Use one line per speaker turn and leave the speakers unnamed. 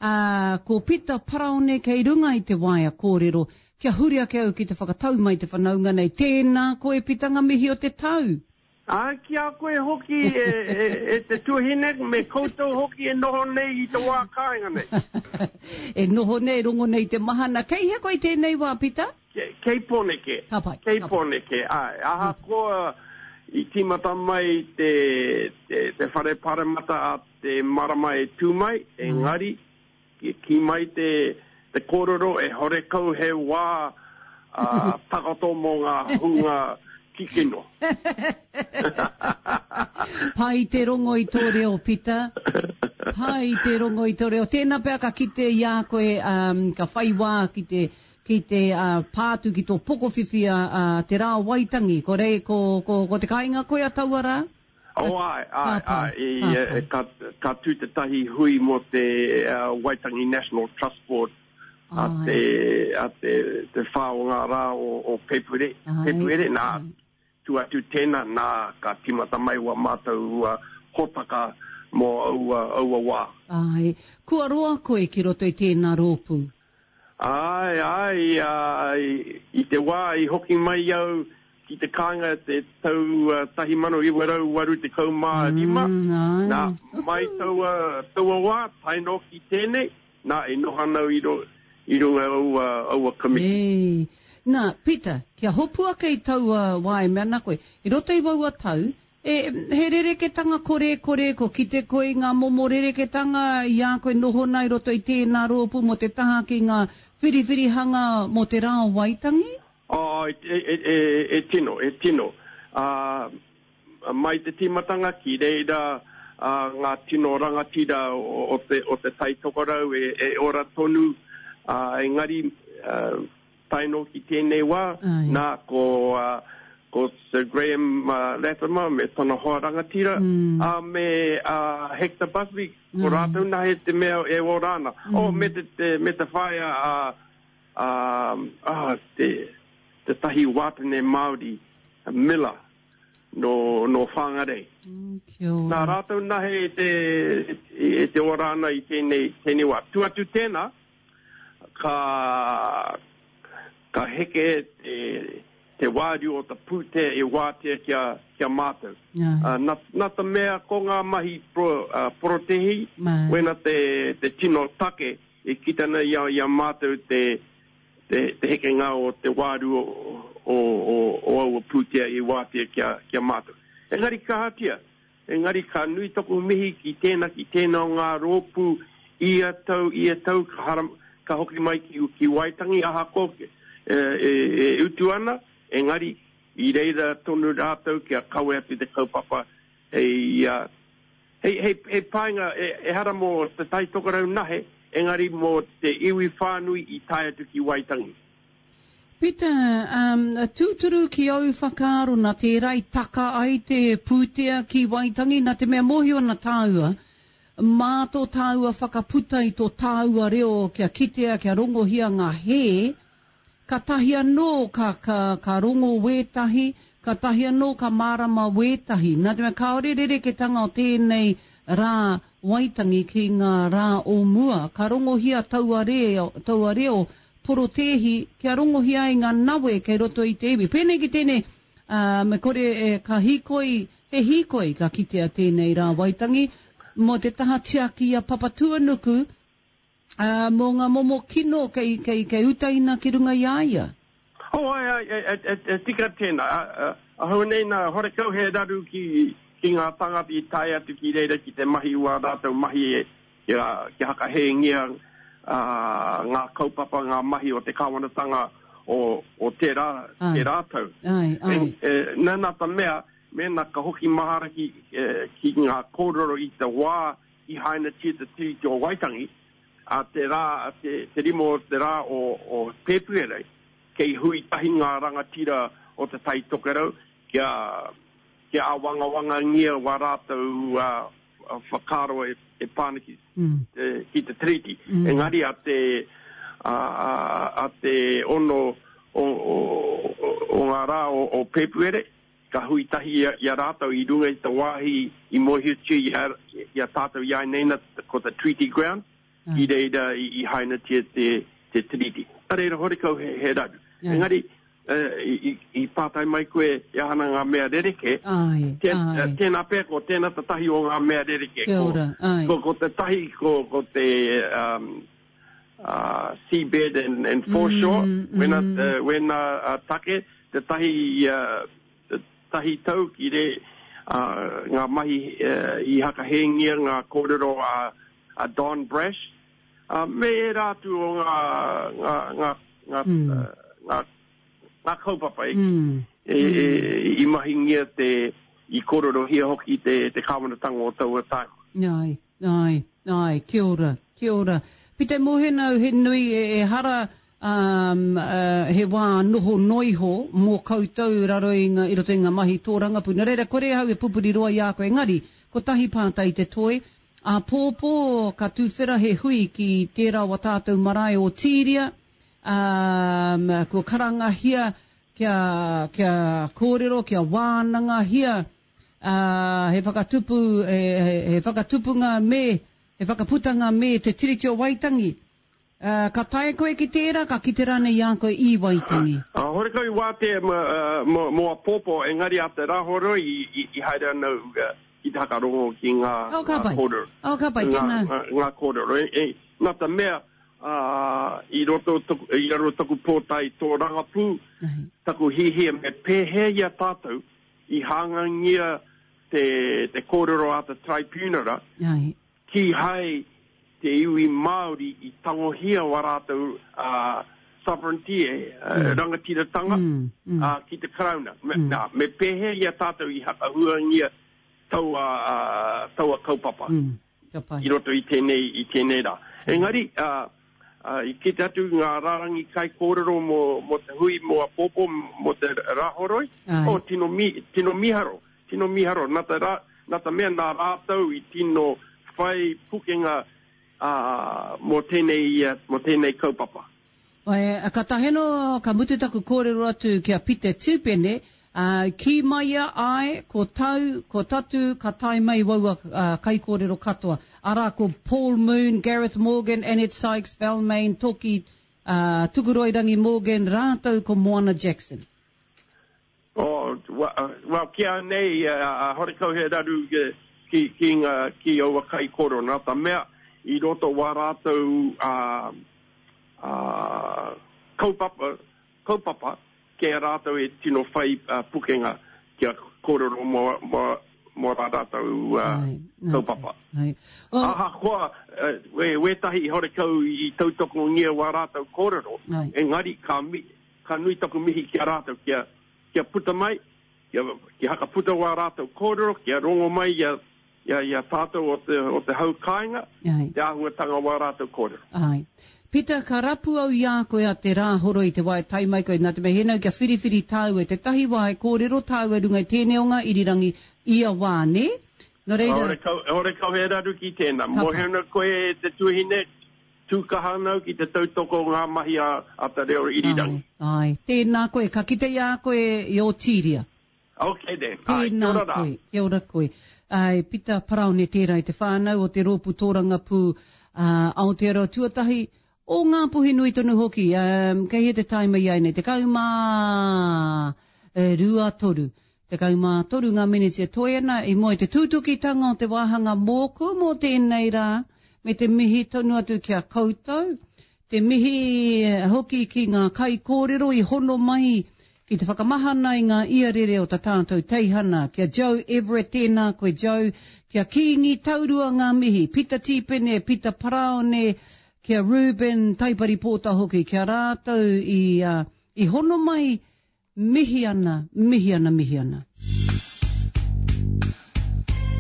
Ā, ko Pita Paraone kei runga i te waea kōrero, kia huri ake au ki te whakatau mai te whanaunga nei. Tēnā koe Pita ngā mihi o te tau!
Ā, ki a koe hoki e, e, e te tuahine, me koutou hoki e noho nei i te wā kāinga nei.
E noho nei, rongo nei te mahana. Kei hea koe i tēnei wā, Pita?
Kei, kei Pōneke.
Ka pai.
Kei Pōneke, āe. Ahakoa i tīmata mai te, te, te whare paremata a te marama e tū mai, engari, kī mai te, te kōrero e horekau he wā takoto mō ngā hunga kikino.
Pai te rongo i tō reo, Pita. Pai te rongo i tō reo. Tēnā pea ka kite i a koe, um, ka whai wā ki te, ki te uh, pā atu ki tō pokowhiwhi a, a te rā o Waitangi. Ko, rei, ko, ko, ko te kāinga koe a taua rā?
Oh, āe, āe, āe, i, ka, ka tū tētahi hui mō te uh, Waitangi National Trust Board a te, a te, te whā o ngā rā o, o Pēpuere, Pēpuere, nā, tū atu tēnā, nā, ka tīmata mai wā mātou uh, hōtaka mō aua, aua wā.
Āe, kua roa koe ki roto i tēnā rōpū?
Āe, āe, i, i te wā i hoki mai au ki te kāinga te tau 1985, nā, mai taua, taua wā, tae noa ki tēnei, nā, e noho ana au i ro, i runga aua, aua komiti.
E. Nā, Peter, kia hopu ake i taua wā e mea ana koe, i roto i waua tau, E, he rereketanga korekore, kua kite koe i ngā momo rereketanga i a koe noho ana i roto i tēnā rōpū mō te taha ki ngā whiriwhirihanga mō te Rā o Waitangi?
Oh, e, e, e, e tino, e tino. Uh, mai te tīmatanga ki reira uh, ngā tino rangatira o, o, te, o te Tai Tokerau e, e ora tonu, uh, engari uh, Tae noa ki tēnei wā, nā, ko, ko Sir Graham Latimer me tana hoa rangatira, ā, me Hector Busby, ko rātou nahe te mea e ora ana. Oh, me te, te, me te whaea a, a, a, te, tētahi wātene Māori, Miller, nō, nō Whangarei.
Kia ora.
Nā rātou nahe te, e te ora ana i tēnei, tēnei wā. Tu atu tēnā, ka, ka heke te, te wāriu o te pūtea e wātea ki a, ki a mātou.
Yeah.
Uh, na, na te mea ko ngā mahi pro, uh, porotehi, wena te, te tino take e kita ana i a, i a mātou te, te, te hekenga o te wāriu o, o, o, o aua pūtea i wātea ki a, ki a mātou. Engari kahatia, Engari ka nui taku mihi ki tēnā, ki tēnā o ngā rōpū ia tau, ia tau ka haram, ka hoki mai ki, ki Waitangi ahakoa e, e, e utu ana, engari i reira tonu rātou kia kawe atu te kaupapa hei, uh, hei, hei, hei painga, e, ehara mō Te Tai Tokerau nahe, engari mō te iwi whānui i tae atu ki Waitangi.
Peter, um, tūturu ki au whakaaro nā tērā i taka ai te pūtea ki Waitangi, nā te mea mōhio ana tāua, mā tō tāua whakaputa i tō tāua reo kia kitea, kia rongohia ngā hē, katahi anō ka, ka, ka rongo wētahi, katahi anō ka mārama wētahi. Nā te mea kāore rereketanga o tēnei rā Waitangi ki ngā rā o mua, ka rongohia taua reo, taua reo porotēhi kia rongohia ai ngā nawe kei roto i te iwi. Pēnei ki tēnei, ā, me kore e, ka hīkoi, he hīkoi ka kitea tēnei rā Waitangi, mō te taha tiaki i a Papatūānuku, ā, mō ngā momo kino kei, kei, kei utaina ki runga i a ia.
Oh, ai, ai, e, e, e, e tika tēnā. A, a, ahau nei nā, horekau he raru ki, ki ngā tāngata i tae atu ki reira ki te mahi wā rātou mahi e, kia, kia hakahēngia ngā kaupapa, ngā mahi o te kāwanatanga o, o tērā,
Ai.
tērā tau.
Ai, ai.
E, e, nā, nā te mea, mēnā ka hoki mahara ki, e, ki ngā kōrero i te wā i hainatia te Tiriti o Waitangi, a te rā, a te, te rima o te rā o, o Pēpuere, kei hui tahi ngā rangatira o Te Tai Tokerau kia, kia āwangawangangia wā rātou whakaaro e, e pā ana ki, mm. te, ki te tiriti. Mm. Engari a te, a, a, a te ono o, o, o ngā rā o, o Pēpuere, ka hui tahi i a, i a rātou i runga i te wāhi i mōhiotia i a, i a tātou i a neina ko te Treaty Ground. Ki reira i, i hainatia te, te tiriti. Nā reira, horekau he, he raru. Engari, i, i, i pātai mai koe e aha ana ngā mea rerekē.
Ai,
Tēn,
ai.
Tēnā pea ko tēnā tētahi o ngā mea rerekē.
Kia ora, ai.
Ko, ko tētahi, ko, ko te um, uh, seabed and, and foreshore, mm, mm. Wena, uh, wena uh, take, tētahi, uh, tahi tau ki re, uh, ngā mahi uh, i hakahēngia ngā kōrero a, a Don Brash, uh, me ērā atu o ngā, ngā, ngā, ngā, mm. uh, ngā, ngā kaupapa e, mm. e, e, i mahingia te, i kōrerohia hoki te, te kāwanatanga o taua taima.
Ai, ai, ai, kia ora, kia ora. Pite Mohenau, he nui e, e hara um, uh, he wā noho noiho mō koutou raro i, nga, i roto i ngā mahi tōrangapū. Nā reira, kore au e pupuri roa i a koe, engari, kotahi pātai te toi, āpōpō ka tuwhera he hui ki tērā o a tātou marae o Tīria, um, kua karangahia kia, kia kōrero, kia wānangahia uh, he whakatupu, he, he, he whakatupunga me, he whakaputanga me te Tiriti o Waitangi. Uh, ka taea koe ki tērā, ka kite rānei i a koe i Waitangi?
Uh, horekau i wātea mō, mō apōpō, engari a te Rāhoroi i, i, i haere ana au uh, ki te hakarongo ki ngā,
oh, ka
ngā kōrero.
Oh, ka pai,
ngā, ngā, ngā kōrero. E, e, nā te mea, uh, i roto taku, i raro taku pōtae tōrangapū, taku hihia me pēhea i a tātou i hāngangia te, te kōrero a te tribunara, kīhai te iwi Māori i tangohia wā rātou sovereignty, rangatiratanga ki te Karauna. Nā, me pēhea i a tātou i hakahuangia taua, taua kaupapa i roto i tēnei, i tēnei rā. Engari, i kite atu ngā rārangi kaikōrero mō, mō te hui mō apōpō, mō te Rāhoroi, oh, tino, mi, tino miharo, Tino miharo, na te ra, na te mea na ratou i tino whai pukenga mo tenei, mo tenei kaupapa.
Ā, ka taheno, ka mutu taku kōrero atu ki a Pita Tupene, ā, kī mai ia, āe, ko tau, ko tatu, ka tae mai waua kaikōrero katoa. Arā, ko Paul Moon, Gareth Morgan, Annette Sykes, Valmaine, Toki, ā, Tukuroirangi Morgan, rātou ko Moana Jackson.
Oh, well, ki a nei, a horekau he raru ki, ki, nga, ki aua kaikoro. Nā ta mea, i roto wā rātou a, a, kaupapa, kaupapa, kei a rātou e tino whai uh, pukenga kia kōrero mō, mō, mō rā rātou uh, kaupapa.
Ai.
Oh. Ahakoa, uh, we, wētahi horekau i tautokongia wā rātou kōrero,
Ai.
engari ka, mi, Ka nui taku mihi ki a rātou kia, kia puta mai, kia, kia hakaputa wā rātou kōrero, kia rongo mai i a, i a, i a tātou o te, o te hau kāinga,
Ai.
te āhuatanga wā rātou kōrero.
Ai. Pita, ka rapu au i a koe a te Rāhoroi i te wā e tae mai koe, nā te mea he nau kia whiriwhiri tāua i tētahi wā e kōrero tāua i runga i tēnei o ngā irirangi ia wā, nē? Nō reira.
Horekau, horekau he raru ki tēnā.
Ka pai.
Mōhio ana koe e te tuahine, Tū kaha ana au ki te tautoko ngā mahi a te reo irirangi.
Āe, āe. Tēnā koe, ka kite i a koe i Ōtīria.
Ok then, āe, kia
Tēnā
ora rā.
koe, kia ora koe. Āe, Pita Paraone tērā i te whānau o te Rōpū Tōrangapū a Aotearoa Tuatahi, o Ngāpuhi nui tonu hoki. Um, kei hea te taima i āianei? 12 toru. 13 ngā meneti e toe ana i mua i te tūtukitanga o te wāhanga mōku mō tēnei rā, me te mihi tonu atu ki a koutou, te mihi hoki ki ngā kaikōrero i hono mai ki te whakamahana i ngā iarere o ta tātou teihana, ki a Joe Everett, tēnā koe Joe, ki a Kīngi Taurua ngā mihi, Pita Tīpene, Pita Paraone, ki a Reuben Taipari Pōta hoki, ki a rātou i, i hono mai Mihi ana, mihi ana, mihi ana.